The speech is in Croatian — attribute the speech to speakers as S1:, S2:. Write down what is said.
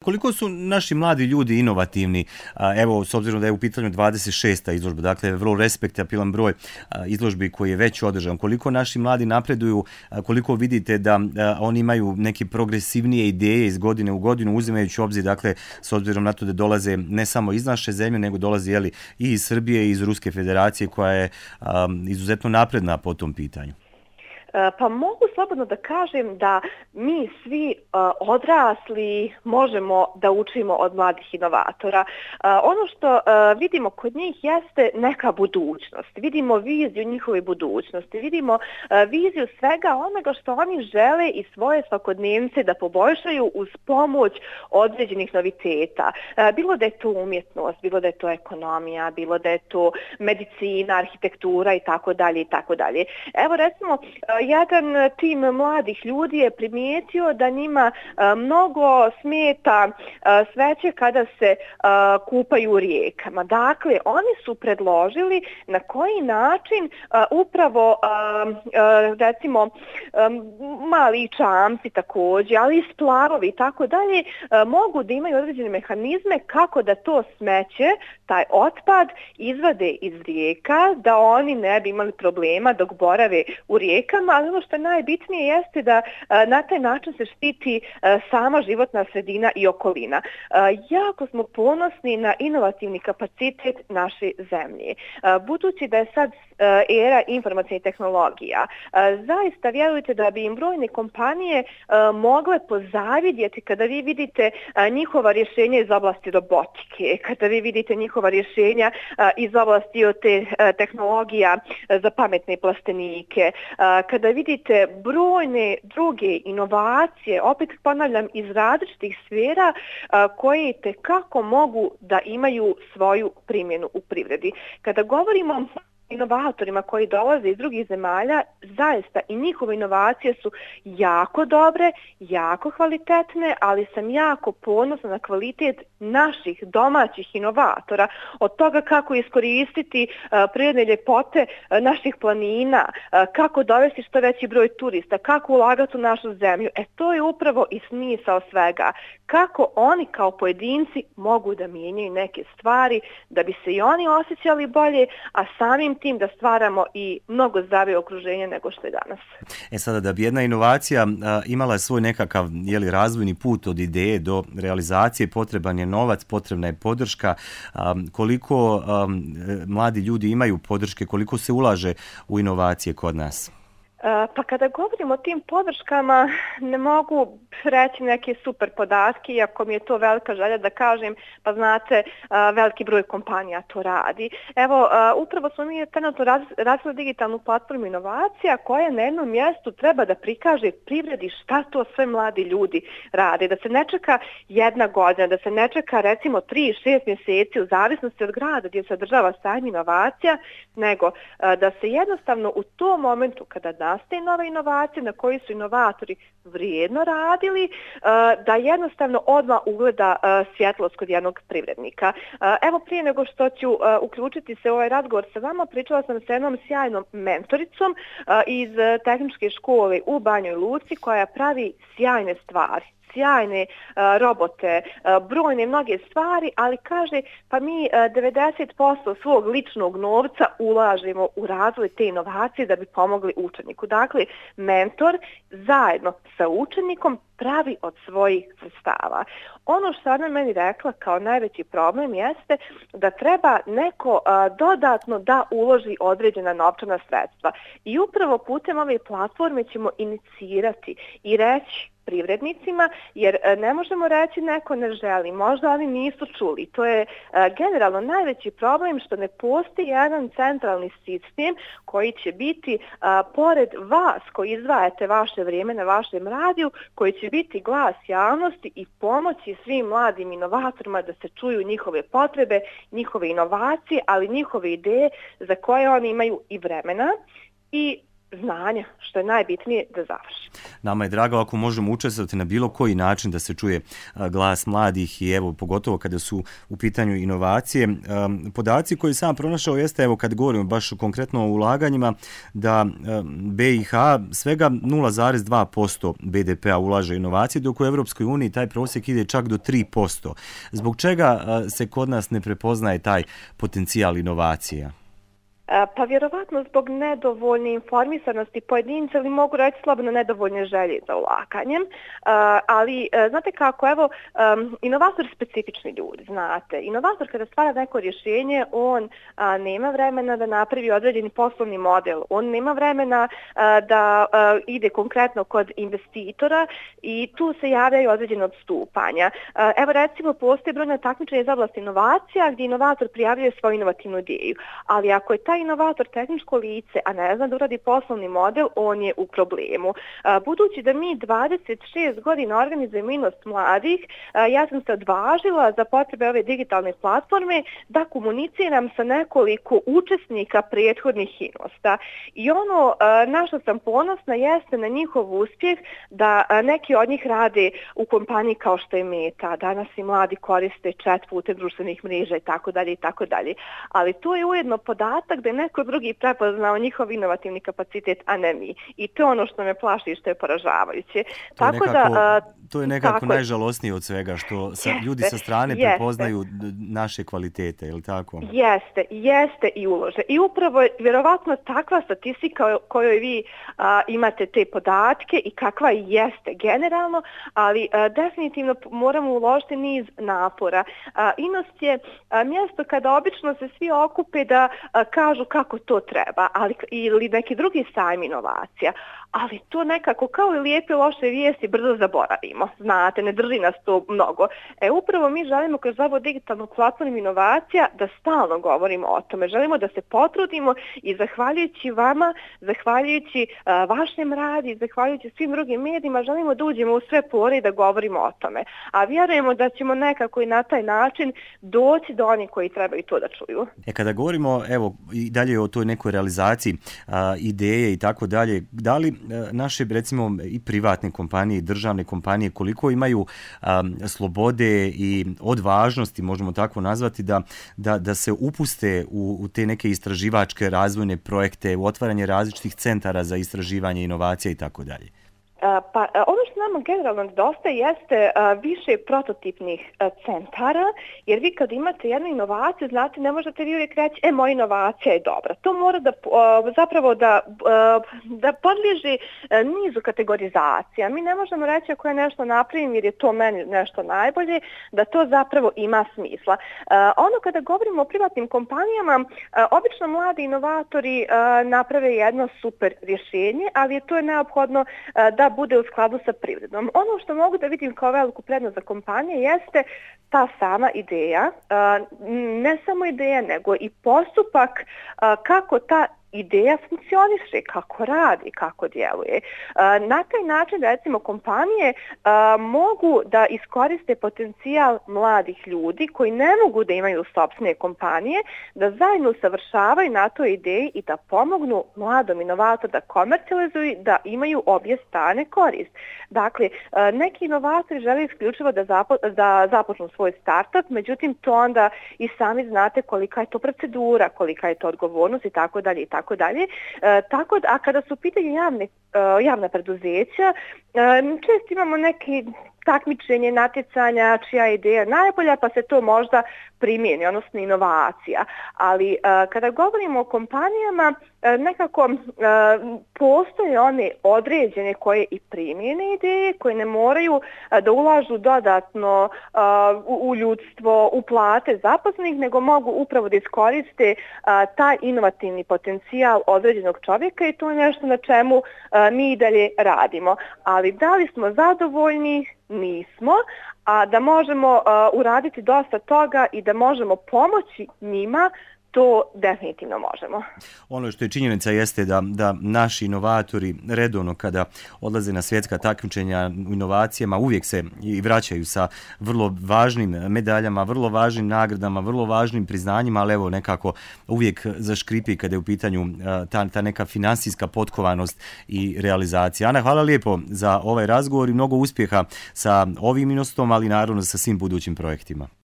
S1: Koliko su naši mladi ljudi inovativni, evo, s obzirom da je u pitanju 26. izložba, dakle, vrlo respektabilan broj izložbi koji je već održan, koliko naši mladi napreduju, koliko vidite da oni imaju neke progresivnije ideje iz godine u godinu, uzimajući u obzir, dakle, s obzirom na to da dolaze ne samo iz naše zemlje, nego dolaze, i iz Srbije i iz Ruske federacije, koja je izuzetno napredna po tom pitanju.
S2: Pa mogu slobodno da kažem da mi svi odrasli možemo da učimo od mladih inovatora. Ono što vidimo kod njih jeste neka budućnost. Vidimo viziju njihove budućnosti. Vidimo viziju svega onoga što oni žele i svoje svakodnevnice da poboljšaju uz pomoć određenih noviteta. Bilo da je to umjetnost, bilo da je to ekonomija, bilo da je to medicina, arhitektura i tako dalje i tako dalje. Evo recimo, jedan tim mladih ljudi je primijetio da njima mnogo smeta sveće kada se kupaju u rijekama. Dakle, oni su predložili na koji način upravo recimo mali čamci također, ali i splavovi i tako dalje mogu da imaju određene mehanizme kako da to smeće, taj otpad, izvade iz rijeka, da oni ne bi imali problema dok borave u rijekama, ali ono što je najbitnije jeste da na taj način se štiti sama životna sredina i okolina. Jako smo ponosni na inovativni kapacitet naše zemlje. Budući da je sad era informacijnih tehnologija, zaista vjerujete da bi im brojne kompanije mogle pozavidjeti kada vi vidite njihova rješenja iz oblasti robotike, kada vi vidite njihova rješenja iz oblasti te tehnologija za pametne plastenike, kada vidite brojne druge inovacije, opet ponavljam, iz različitih sfera koje tekako mogu da imaju svoju primjenu u privredi. Kada govorimo inovatorima koji dolaze iz drugih zemalja, zaista i njihove inovacije su jako dobre, jako kvalitetne, ali sam jako ponosna na kvalitet naših domaćih inovatora, od toga kako iskoristiti prirodne ljepote naših planina, kako dovesti što veći broj turista, kako ulagati u našu zemlju. To je upravo i smisao svega. Kako oni kao pojedinci mogu da mijenjaju neke stvari da bi se i oni osjećali bolje, a samim tim da stvaramo i mnogo zdravije okruženje nego što je danas.
S1: Sada, da bi jedna inovacija imala svoj nekakav razvojni put od ideje do realizacije, potreban je novac, potrebna je podrška. Koliko mladi ljudi imaju podrške, koliko se ulaže u inovacije kod nas?
S2: Pa kada govorimo o tim podrškama, ne mogu reći neke super podatke, iako mi je to velika želja da kažem, pa znate, veliki broj kompanija to radi. Evo, upravo smo mi trenutno razvili digitalnu platformu inovacija koja na jednom mjestu treba da prikaže privredi šta to sve mladi ljudi rade. Da se ne čeka jedna godina, da se ne čeka recimo 3-6 mjeseci u zavisnosti od grada gdje se održava sajam inovacija, nego da se jednostavno u tom momentu kada nastaje nova inovacija na koji su inovatori vrijedno radili, da jednostavno odmah ugleda svjetlost kod jednog privrednika. Evo, prije nego što ću uključiti se u ovaj razgovor sa vama, pričala sam sa jednom sjajnom mentoricom iz tehničke škole u Banjoj Luci koja pravi sjajne stvari, sjajne robote, brojne mnoge stvari, ali kaže pa mi 90% svog ličnog novca ulažemo u razvoj te inovacije da bi pomogli učeniku. Dakle, mentor zajedno sa učenikom pravi od svojih sredstava. Ono što ona meni rekla kao najveći problem jeste da treba neko dodatno da uloži određena novčana sredstva. I upravo putem ove platforme ćemo inicirati i reći privrednicima, jer ne možemo reći neko ne želi, možda oni nisu čuli. To je generalno najveći problem što ne postoji jedan centralni sistem koji će biti pored vas koji izdvajate vaše vrijeme na vašem radiju, koji će biti glas javnosti i pomoći svim mladim inovatorima da se čuju njihove potrebe, njihove inovacije, ali njihove ideje za koje oni imaju i vremena i znanja, što je najbitnije, da završi.
S1: Nama je drago ako možemo učestvovati na bilo koji način da se čuje glas mladih i evo, pogotovo kada su u pitanju inovacije. Podaci koje sam pronašao jeste, evo kad govorimo baš konkretno o ulaganjima, da BiH svega 0,2% BDP-a ulaže inovacije, dok u Evropskoj uniji taj prosjek ide čak do 3%. Zbog čega se kod nas ne prepoznaje taj potencijal inovacija?
S2: Pa vjerovatno zbog nedovoljne informisanosti pojedinca ili mogu reći slobodno nedovoljne želje za ulaganjem, ali znate kako, evo, inovator je specifični ljudi, znate. Inovator kada stvara neko rješenje, on nema vremena da napravi određeni poslovni model, on nema vremena da ide konkretno kod investitora i tu se javljaju određene odstupanja. Evo recimo postoje brojna takmičenja iz oblasti inovacija gdje inovator prijavljuje svoju inovativnu ideju, ali ako je taj inovator tehničko lice, a ne zna da uradi poslovni model, on je u problemu. Budući da mi 26 godina organizujemo Inost mladih, ja sam se odvažila za potrebe ove digitalne platforme da komuniciram sa nekoliko učesnika prethodnih Inosta. I ono na što sam ponosna jeste na njihov uspjeh da neki od njih rade u kompaniji kao što je Meta. Danas i mladi koriste chat putem društvenih mreža i tako dalje i tako dalje. Ali to je ujedno podatak da je neko drugi prepoznao njihov inovativni kapacitet, a ne mi. I to je ono što me plaši i što je poražavajuće.
S1: To je nekako najžalosnije od svega, što ljudi sa strane prepoznaju naše kvalitete, je li tako?
S2: Jeste i ulože. I upravo je vjerovatno takva statistika kojoj vi imate te podatke i kakva jeste generalno, ali definitivno moramo uložiti niz napora. Inost je mjesto kada obično se svi okupe da kažu kako to treba, ili neki drugi sajm inovacija, ali to nekako kao i lijepe loše vijesti brzo zaboravimo. Znate, ne drži nas to mnogo. Upravo mi želimo kroz ovu digitalnu platformu inovacija da stalno govorimo o tome. Želimo da se potrudimo i zahvaljujući vama, zahvaljujući vašem radi, zahvaljujući svim drugim medijima, želimo da uđemo u sve pore i da govorimo o tome. A vjerujemo da ćemo nekako i na taj način doći do onih koji trebaju to da čuju.
S1: Kada govorimo, evo, i dalje o toj nekoj realizaciji ideje i tako dalje, da li naše, recimo, i privatne kompanije i državne kompanije koliko imaju slobode i odvažnosti, možemo tako nazvati, da se upuste u te neke istraživačke razvojne projekte, u otvaranje različitih centara za istraživanje inovacija i tako dalje?
S2: Pa ono što nama generalno nedostaje jeste više prototipnih centara, jer vi kad imate jednu inovaciju, znate, ne možete vi uvijek reći, moja inovacija je dobra. To mora da podliježi nizu kategorizacija. Mi ne možemo reći ako je nešto napravim jer je to meni nešto najbolje, da to zapravo ima smisla. Ono kada govorimo o privatnim kompanijama, obično mladi inovatori naprave jedno super rješenje, ali to je neophodno da bude u skladu sa privredom. Ono što mogu da vidim kao veliku prednost za kompanije jeste ta sama ideja, ne samo ideja, nego i postupak kako ta ideja funkcioniše, kako radi, kako djeluje. Na taj način, recimo, kompanije mogu da iskoriste potencijal mladih ljudi koji ne mogu da imaju sopstvene kompanije, da zajedno usavršavaju na toj ideji i da pomognu mladom inovatoru da komercijalizuju, da imaju obje strane korist. Dakle, neki inovatori žele isključivo da započnu svoj startup, međutim, to onda i sami znate kolika je to procedura, kolika je to odgovornost i tako dalje i tako dalje. A kada su u pitanju javna preduzeća, često imamo neki takmičenje, natjecanja, čija je ideja najbolja, pa se to možda primijeni, odnosno inovacija. Ali kada govorimo o kompanijama, nekako postoje one određene koje i primjene ideje, koje ne moraju da ulažu dodatno u ljudstvo, u plate zaposlenih, nego mogu upravo da iskoriste taj inovativni potencijal određenog čovjeka i to je nešto na čemu mi i dalje radimo. Ali da li smo zadovoljni? Nismo, a da možemo uraditi dosta toga i da možemo pomoći njima, to definitivno možemo.
S1: Ono što je činjenica jeste da naši inovatori redovno kada odlaze na svjetska takmičenja u inovacijama uvijek se i vraćaju sa vrlo važnim medaljama, vrlo važnim nagradama, vrlo važnim priznanjima, ali evo nekako uvijek zaškripi kada je u pitanju ta neka financijska potkovanost i realizacija. Ana, hvala lijepo za ovaj razgovor i mnogo uspjeha sa ovim inostom, ali naravno sa svim budućim projektima.